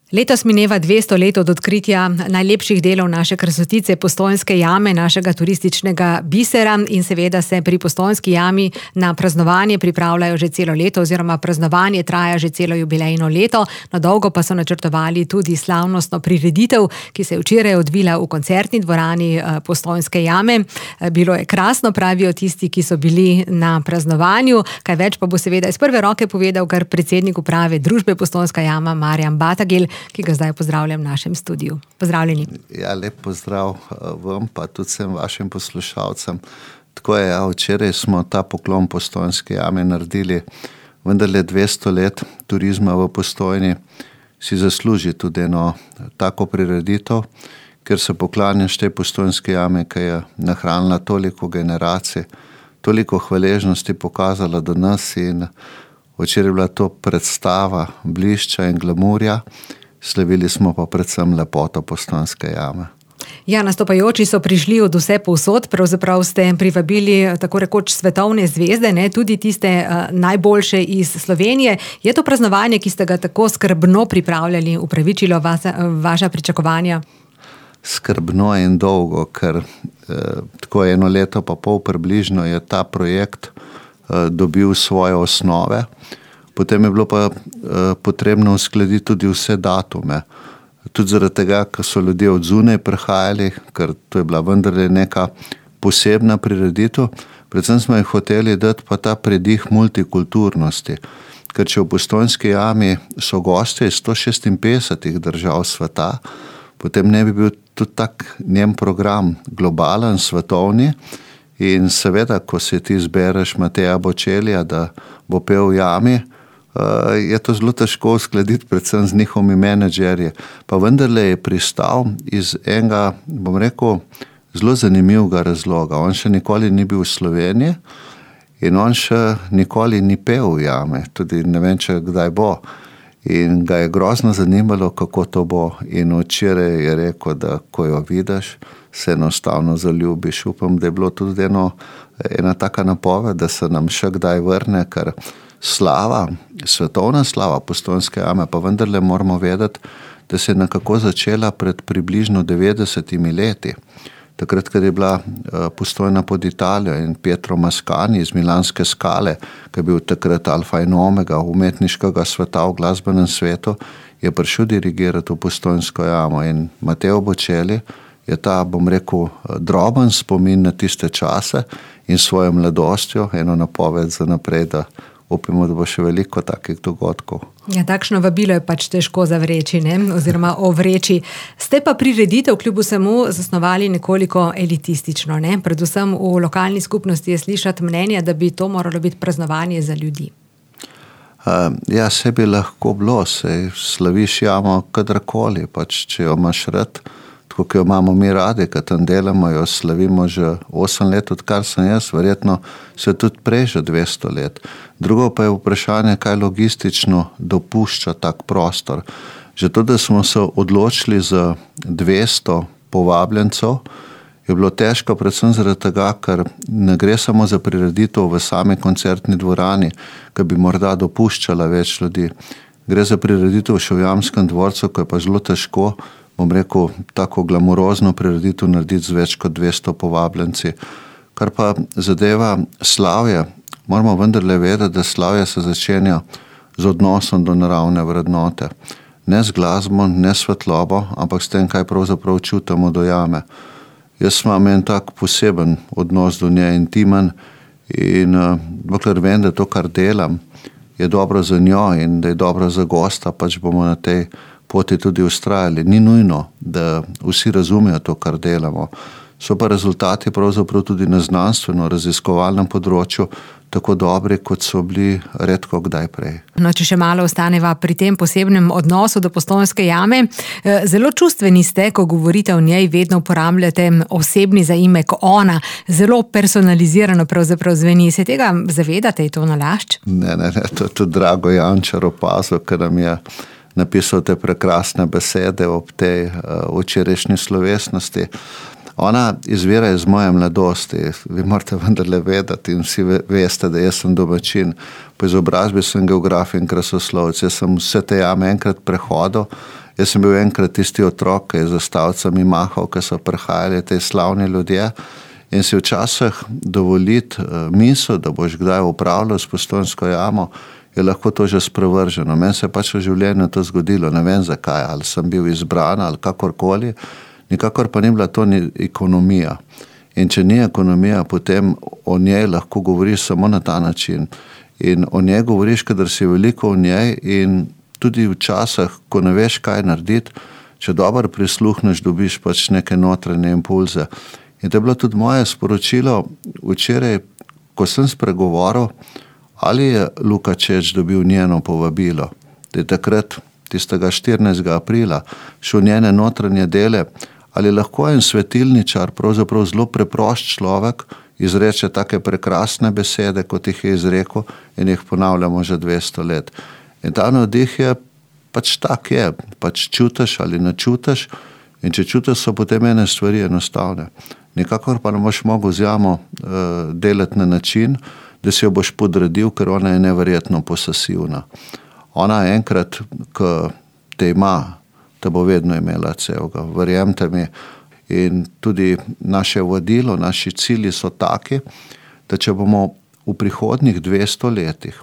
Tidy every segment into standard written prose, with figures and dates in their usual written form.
Letos mineva 200 let od odkritja najlepših delov naše krasotice Postojnske jame, našega turističnega bisera, in seveda se pri Postojnski jami na praznovanje pripravljajo že celo leto, oziroma praznovanje traja že celo jubilejno leto. Na dolgo pa so načrtovali tudi slavnostno prireditev, ki se je včeraj odvila v koncertni dvorani Postojnske jame. Bilo je krasno, pravijo tisti, ki so bili na praznovanju. Kaj več pa bo seveda iz prve roke povedal kar predsednik uprave družbe Postojnska jama Marjan Batagel, ki ga zdaj pozdravljam v našem studiu. Pozdravljeni. Ja, lep pozdrav vam, pa tudi vsem vašim poslušalcem. Tako je, včeraj smo ta poklon Postojnski jami naredili, vendarle 200 let turizma v Postojni si zasluži tudi eno tako prireditev, ker se poklanjaš tej Postojnski jami, ki je nahranila toliko generacij, toliko hvaležnosti pokazala do nas, in včeraj je bila to predstava blišča in glamurja. Slavili smo pa predvsem lepoto Postojnske jame. Ja, nastopajoči so prišli od vse povsod, pravzaprav ste privabili tako rekoč svetovne zvezde, ne, tudi tiste najboljše iz Slovenije. Je to praznovanje, ki ste ga tako skrbno pripravljali, upravičilo vaša pričakovanja? Skrbno in dolgo, ker tako 1 leto pa pol približno je ta projekt dobil svoje osnove. Potem je bilo pa potrebno uskladiti tudi vse datume. Tudi zaradi tega, ker so ljudje od zunaj prihajali, ker to je bila vendarle neka posebna prireditev. Predvsem smo jih hoteli dati pa ta predih multikulturnosti. Ker če v Postojnski jami so gostje iz 156 držav sveta, potem ne bi bil tudi tak njen program globalen, svetovni. In seveda, ko se ti zbereš Mateja Bočelija, da bo pel v jami, je to zelo težko uskladiti, predvsem z njihovimi menedžerji. Pa vendarle je pristal iz enega, bom rekel, zelo zanimivega razloga. On še nikoli ni bil v Sloveniji in on še nikoli ni pel v jami, tudi ne vem, če kdaj bo. In ga je grozno zanimalo, kako to bo. In včeraj je rekel, da ko jo vidiš, se enostavno zaljubiš. Upam, da je bilo tudi ena taka napoved, da se nam še kdaj vrne, ker slava, svetovna slava Postojnske jame, pa vendarle moramo vedeti, da se je nekako začela pred približno 90 leti. Takrat, kad je bila Postojna pod Italijo in Pietro Mascagni iz Milanske skale, ki je bil takrat alfa in omega umetniškega sveta v glasbenem svetu, je prišel dirigirati v Postojnsko jamo. In Mateo Bočeli je ta, bom rekel, droben spomin na tiste čase in svojo mladostjo eno napoved za naprej, da upimo, da bo še veliko takih dogodkov. Ja, takšno vabilo je pač težko zavreči, ne? Oziroma ovreči. Ste pa prireditev kljub vsemu zasnovali nekoliko elitistično, ne? Predvsem v lokalni skupnosti je slišati mnenje, da bi to moralo biti praznovanje za ljudi. Ja, se bi lahko bilo, saj slaviš jamo kadarkoli, pač če jo imaš rad, tako ki jo imamo mi radi, kad tam delamo, jo slavimo že 8 let, odkar sem jaz, verjetno se tudi prej že 200 let. Drugo pa je vprašanje, kaj logistično dopušča tak prostor. Že to, da smo se odločili za 200 povabljencev, je bilo težko predvsem zaradi tega, ker ne gre samo za prireditev v sami koncertni dvorani, ki bi morda dopuščala več ljudi. Gre za prireditev še v Jamskem dvorcu, ko je pa zelo težko, bom rekel, tako glamurozno prireditev narediti z več kot 200 povabljenci. Kar pa zadeva slavje, moramo vendarle vedeti, da slavje se začenja z odnosom do naravne vrednote. Ne z glasbo, ne svetlobo, ampak s tem, kaj pravzaprav čutimo do jame. Jaz imam en tak poseben odnos do nje, intimen, in dokler vem, da to, kar delam, je dobro za njo in da je dobro za gosta, pač bomo na tej poti tudi ustrajali. Ni nujno, da vsi razumejo to, kar delamo. So pa rezultati pravzaprav tudi na znanstveno-raziskovalnem področju tako dobri, kot so bili redko kdaj prej. No, če še malo ostaneva pri tem posebnem odnosu do Postojnske jame. Zelo čustveni ste, ko govorite o njej, vedno uporabljate osebni zaimek ona. Zelo personalizirano pravzaprav zveni. Se tega zavedate, je to nalašč? Ne, to je tudi Drago Jančar opazil, ker nam je napisal te prekrasne besede ob tej včerajšnji slovesnosti. Ona izvira iz moje mladosti. Vi morate vendarle vedeti in vsi veste, da jaz sem domačin. Po izobrazbi sem geograf in krasoslovec. Jaz sem vse te jame enkrat prehodil Jaz sem bil enkrat tisti otrok, ki je za stavcami mahal, ki so prihajali te slavni ljudje, in si včasih dovoliti misel, da boš kdaj upravljal s Postojnsko jamo, je lahko to že sprevrženo. Meni se je pač v življenju to zgodilo, ne vem zakaj, ali sem bil izbran ali kakorkoli, nikakor pa ni bila to ni ekonomija. In če ni ekonomija, potem o njej lahko govoriš samo na ta način. In o njej govoriš, kadar si veliko v njej, in tudi včasih, ko ne veš, kaj narediti, če dobro prisluhneš, dobiš pač neke notranje impulze. In to je bilo tudi moje sporočilo včeraj, ko sem spregovoril, ali je Luka Čeč dobil njeno povabilo, da je takrat, tistega 14. aprila, šel njene notranje dele, ali lahko en svetilničar, pravzaprav zelo preprost človek, izreče take prekrasne besede, kot jih je izrekel, in jih ponavljamo že 200 let. In ta navdih je pač tak je, pač čutiš ali ne čutiš, in če čutiš, so potem ene stvari enostavne. Nikakor pa ne boš mogel z jamo delati na način, da si jo boš podredil, ker ona je neverjetno posesivna. Ona enkrat, ko te ima, te bo vedno imela celega, verjemite mi. In tudi naše vodilo, naši cilji so taki, da če bomo v prihodnjih 200 letih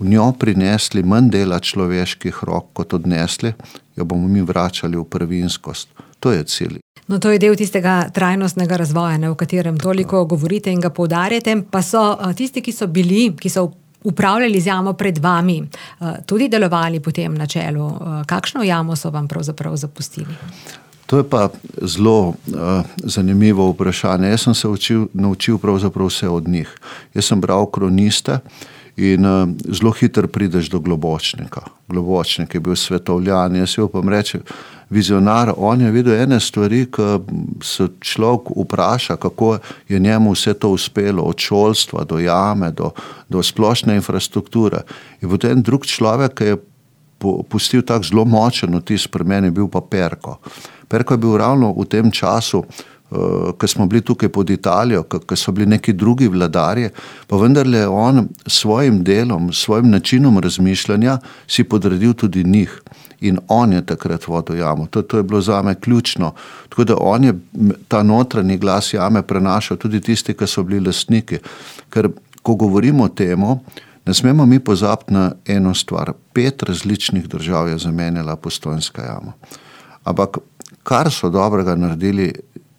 v njo prinesli manj dela človeških rok, kot odnesli, jo bomo mi vračali v prvinskost. To je cilj. No, to je del tistega trajnostnega razvoja, o katerem toliko govorite in ga poudarjate, pa so tisti, ki so upravljali z jamo pred vami, tudi delovali po tem načelu. Kakšno jamo so vam pravzaprav zapustili? To je pa zelo zanimivo vprašanje. Jaz sem se naučil pravzaprav vse od njih. Jaz sem bral kroniste in zelo hitro prideš do Globočnika. Globočnik je bil svetovljan, jaz si upam reči vizionar, on je videl ene stvari, ki se človek vpraša, kako je njemu vse to uspelo, od šolstva do jame, do splošne infrastrukture. In potem drug človek, ki je pustil tak zelo močen vtis pri meni, bil pa Perko. Perko je bil ravno v tem času, ko smo bili tukaj pod Italijo, ko so bili neki drugi vladarji, pa vendarle on svojim delom, svojim načinom razmišljanja si podredil tudi njih. In on je takrat vodil jamo. To je bilo zame ključno. Tako da on je ta notranji glas jame prenašal tudi tisti, ki so bili lastniki. Ker ko govorimo o temu, ne smemo mi pozabiti na eno stvar. 5 različnih držav je zamenjala Postojnska jama. Ampak kar so dobrega naredili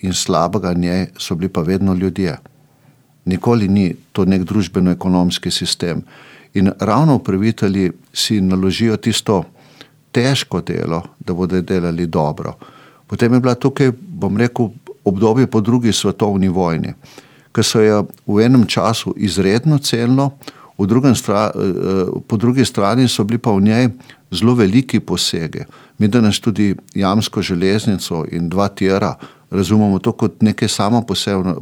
in slabega njej, so bili pa vedno ljudje. Nikoli ni to nek družbeno-ekonomski sistem. In ravno upravitelji si naložijo tisto težko delo, da bodo delali dobro. Potem je bila tukaj, bom rekel, obdobje po 2. svetovni vojni, ki so je v enem času izredno cenilo, po drugi strani so bili pa v njej zelo veliki posege. Mi danes tudi jamsko železnico in 2 tira razumemo to kot nekaj samo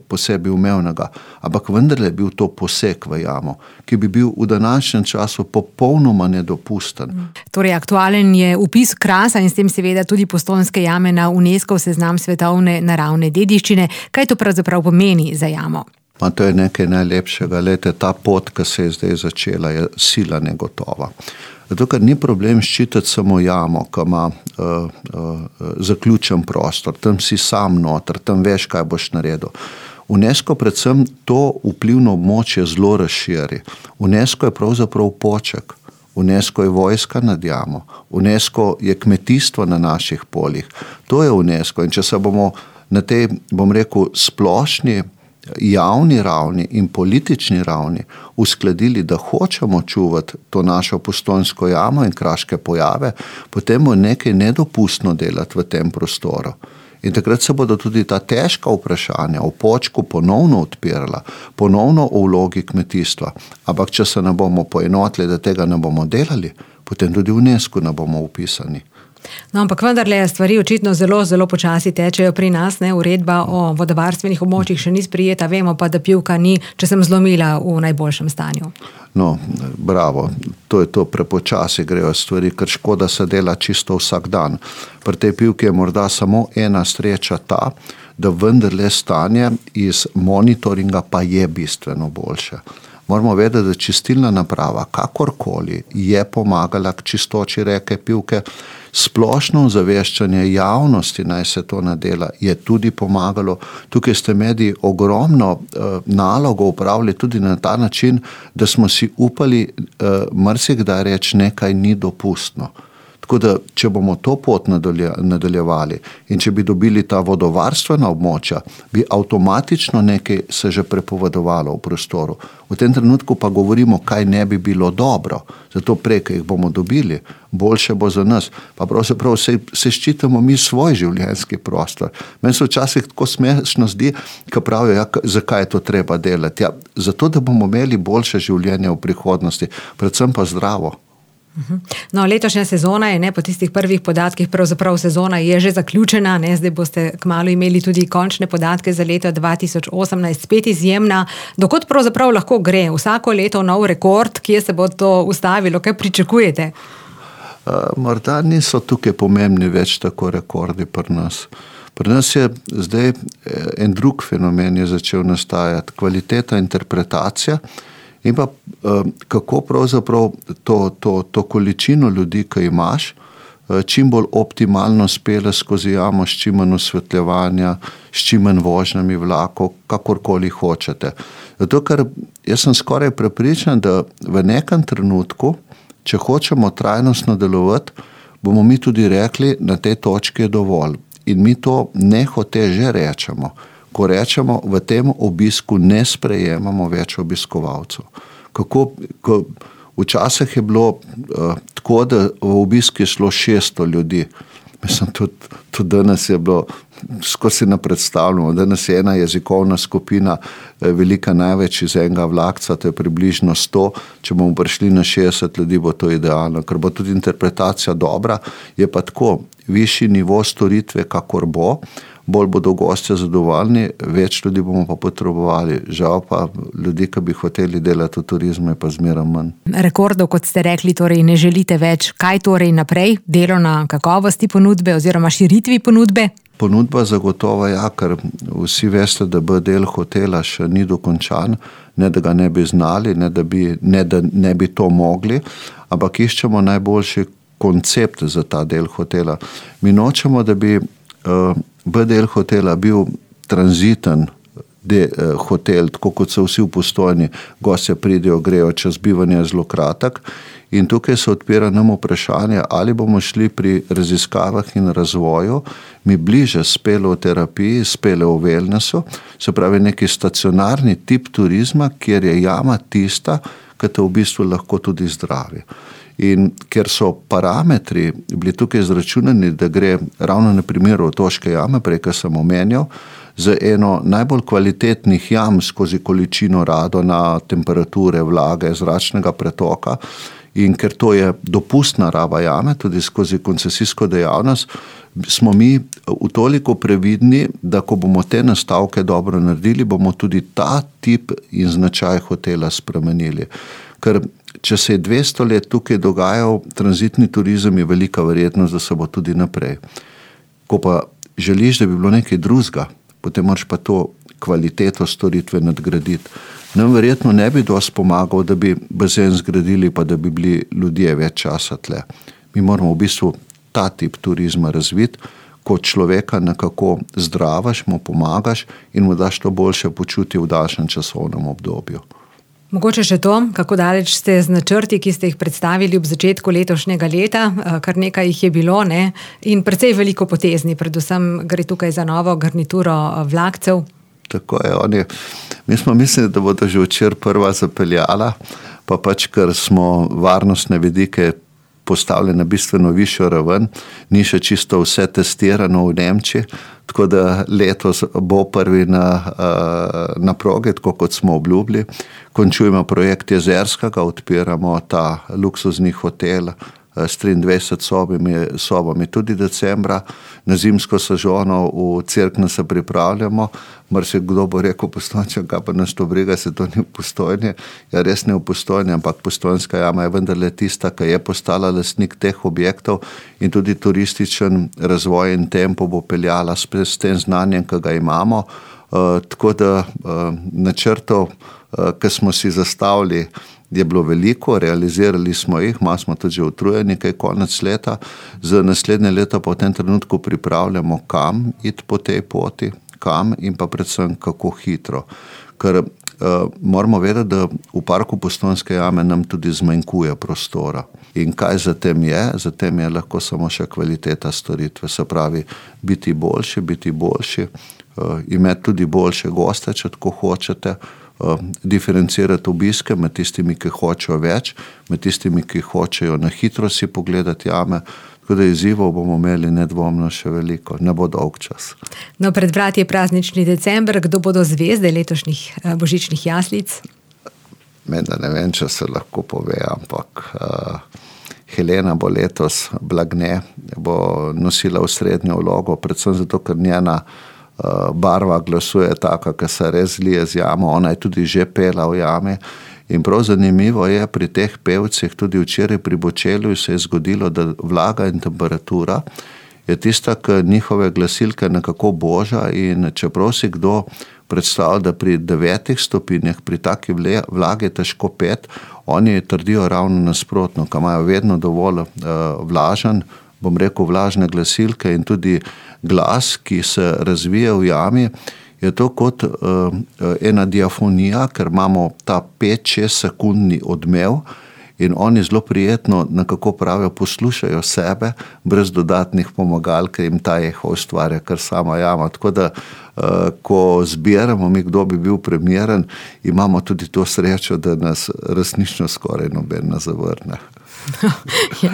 po sebi umevnega, ampak vendarle je bil to poseg v jamo, ki bi bil v današnjem času popolnoma nedopusten. Torej, aktualen je vpis Krasa in s tem seveda tudi Postojnske jame na UNESCO seznam svetovne naravne dediščine. Kaj to pravzaprav pomeni za jamo? Pa to je nekaj najlepšega. Lejte, ta pot, ki se je zdaj začela, je sila negotova. Zato, ker ni problem ščititi samo jamo, ki ima zaključen prostor, tam si sam noter, tam veš, kaj boš naredil. UNESCO predvsem to vplivno območje zelo razširi. UNESCO je pravzaprav poček. UNESCO je vojska nad jamo. UNESCO je kmetijstvo na naših poljih. To je UNESCO. In če se bomo na tej, bom rekel, splošni javni ravni in politični ravni uskladili, da hočemo čuvati to našo Postojnsko jamo in kraške pojave, potem bo nekaj nedopustno delati v tem prostoru. In takrat se bodo tudi ta težka vprašanja o počku ponovno odpirala, ponovno o vlogi kmetijstva. Ampak če se ne bomo poenotili, da tega ne bomo delali, potem tudi v UNESCO ne bomo upisani. No, ampak vendarle stvari očitno zelo, zelo počasi tečejo pri nas. Uredba o vodovarstvenih območjih še ni sprejeta, vemo pa, da Pivka ni, če sem zlomila, v najboljšem stanju. No, bravo, to je to, prepočasi grejo stvari, ker škoda se dela čisto vsak dan. Pri tej Pivki je morda samo ena sreča ta, da vendarle stanje iz monitoringa pa je bistveno boljše. Moramo vedeti, da čistilna naprava, kakorkoli, je pomagala k čistoči reke Pivke. splošno ozaveščanje javnosti, naj se to nadela, je tudi pomagalo. Tukaj ste mediji ogromno nalogo upravili tudi na ta način, da smo si upali marsikdaj reči, nekaj ni dopustno. Tako da, če bomo to pot nadaljevali in če bi dobili ta vodovarstvena območja, bi avtomatično nekaj se že prepovedovalo v prostoru. V tem trenutku pa govorimo, kaj ne bi bilo dobro. Zato prej, ko jih bomo dobili, boljše bo za nas. Pa pravzaprav se ščitimo mi svoj življenjski prostor. Meni se včasih tako smešno zdi, ko pravijo, zakaj je to treba delati. Ja, zato, da bomo imeli boljše življenje v prihodnosti, predvsem pa zdravo. No, letošnja sezona je, po tistih prvih podatkih, pravzaprav sezona je že zaključena, zdaj boste kmalu imeli tudi končne podatke za leto 2018, spet izjemna. Dokot pravzaprav lahko gre? Vsako leto nov rekord, kje se bo to ustavilo, kaj pričakujete? Morda niso tukaj pomembni več tako rekordi pri nas. Pri nas je zdaj en drug fenomen je začel nastajati, kvaliteta interpretacija. In pa kako pravzaprav to količino ljudi, ki imaš, čim bolj optimalno spele skozi jamo, s čim manj osvetljevanja, s čim manj vožnjami vlakov, kakorkoli hočete. Zato, ker jaz sem skoraj prepričan, da v nekem trenutku, če hočemo trajnostno delovati, bomo mi tudi rekli, na tej točki je dovolj. In mi to nehote že rečemo. Ko rečemo, v tem obisku ne sprejemamo več obiskovalcev. Včasih je bilo tako, da v obisk je šlo 600 ljudi. Mislim, tudi danes je bilo, skozi ne predstavljamo, danes je ena jezikovna skupina velika največ iz enega vlakca, to je približno 100, če bomo prišli na 60 ljudi, bo to idealno, ker bo tudi interpretacija dobra, je pa tako, višji nivo storitve, kakor bo, bolj bodo gostje zadovoljni, več ljudi bomo pa potrebovali. Žal pa ljudi, ki bi hoteli delati v turizmu, je pa zmeraj manj. Rekordov, kot ste rekli, torej ne želite več. Kaj torej naprej? Delo na kakovosti ponudbe oziroma širitvi ponudbe? Ponudba zagotovo ja, ker vsi veste, da del hotela še ni dokončan, ne da ga ne bi znali, ne da ne bi to mogli, ampak iščemo najboljši koncept za ta del hotela. Mi nočemo, da bi del hotela bil tranziten hotel, tako kot so vsi v Postojni, gostje pridejo, grejo, čas bivanja je zelo kratek in tukaj se odpira nam vprašanje, ali bomo šli pri raziskavah in razvoju mi bliže speloterapiji, spele v wellnessu, se pravi neki stacionarni tip turizma, kjer je jama tista, ki te v bistvu lahko tudi zdravi. In ker so parametri bili tukaj izračunani, da gre ravno na primeru Otoške jame, prej, kar sem omenjal, za eno najbolj kvalitetnih jam skozi količino radona, temperature, vlage, zračnega pretoka, in ker to je dopustna raba jame, tudi skozi koncesijsko dejavnost, smo mi v toliko previdni, da ko bomo te nastavke dobro naredili, bomo tudi ta tip in značaj hotela spremenili. Ker če se je 200 let tukaj dogajal tranzitni turizem, je velika verjetnost, da se bo tudi naprej. Ko pa želiš, da bi bilo nekaj drugega, potem moraš pa to kvaliteto storitve nadgraditi. Nam verjetno ne bi dosti pomagal, da bi bazen zgradili, pa da bi bili ljudje več časa tle. Mi moramo v bistvu ta tip turizma razviti, ko človeka nekako zdravaš, mu pomagaš in mu daš to boljše počutje v daljšem časovnem obdobju. Mogoče še to, kako daleč ste z načrti, ki ste jih predstavili ob začetku letošnjega leta, kar nekaj jih je bilo, in precej veliko potezni, predvsem gre tukaj za novo garnituro vlakcev. Tako je, mi smo mislili, da bodo že včeraj prva zapeljala, pa pač, ker smo varnostne vidike postavili na bistveno višjo raven, ni še čisto vse testirano v Nemčiji, tako da letos bo prvi na progi, tako kot smo obljubili. Končujemo projekt Jezerskega, odpiramo ta luksuzni hotel s 23 sobami tudi decembra. Na zimsko sezono v Cerkno se pripravljamo. Marsikdo bo rekel Postojnčan, kaj pa nas to briga, se to ni v Postojni. Ja, res ne v Postojni, ampak Postojnska jama je vendarle tista, ki je postala lastnik teh objektov in tudi turističen razvoj in tempo bo peljala s tem znanjem, ki ga imamo. Tako da načrtov, ki smo si zastavili, je bilo veliko, realizirali smo jih, malo smo tudi že utrujeni, kaj konec leta. Za naslednje leto pa v tem trenutku pripravljamo, kam iti po tej poti, kam in pa predvsem kako hitro. Ker moramo vedeti, da v parku Postojnske jame nam tudi zmanjkuje prostora. In kaj za tem je? Za tem je lahko samo še kvaliteta storitve, se pravi biti boljši, imeti tudi boljše goste, če tako hočete, diferencirati obiske med tistimi, ki hočejo več, med tistimi, ki hočejo na hitro si pogledati jame. Tako da izzivov bomo imeli nedvomno še veliko, ne bo dolg čas. No, pred vrati je praznični december, kdo bodo zvezde letošnjih božičnih jaslic? Menda ne vem, če se lahko pove, ampak Helena bo letos Blagne, bo nosila osrednjo vlogo, predvsem zato, ker njena barva glasu je taka, ki se res zlije z jamo, ona je tudi že pela v jami. In prav zanimivo je pri teh pevcih, tudi včeraj pri Bočelju se je zgodilo, da vlaga in temperatura je tista, ki njihove glasilke nekako boža, in čeprav si kdo predstavlja, da pri 9 stopinjah, pri taki vlagi težko pet, oni trdijo ravno nasprotno, ko imajo vedno dovolj vlažen, bom rekel, vlažne glasilke in tudi glas, ki se razvije v jami, je to kot ena diafonija, ker imamo ta 5-6 sekundni odmev in oni zelo prijetno, nekako pravijo, poslušajo sebe, brez dodatnih pomagal, ker jim ta eho ustvarja kar sama jama. Tako da, ko zbiramo mi, kdo bi bil primeren, imamo tudi to srečo, da nas resnično skoraj noben ne zavrne. Ja,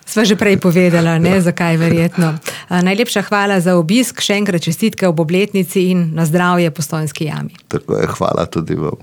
sva že prej povedala, ne, zakaj verjetno. Najlepša hvala za obisk, še enkrat čestitke ob obletnici in na zdravje Postojnski jami. Tako je, hvala tudi vam.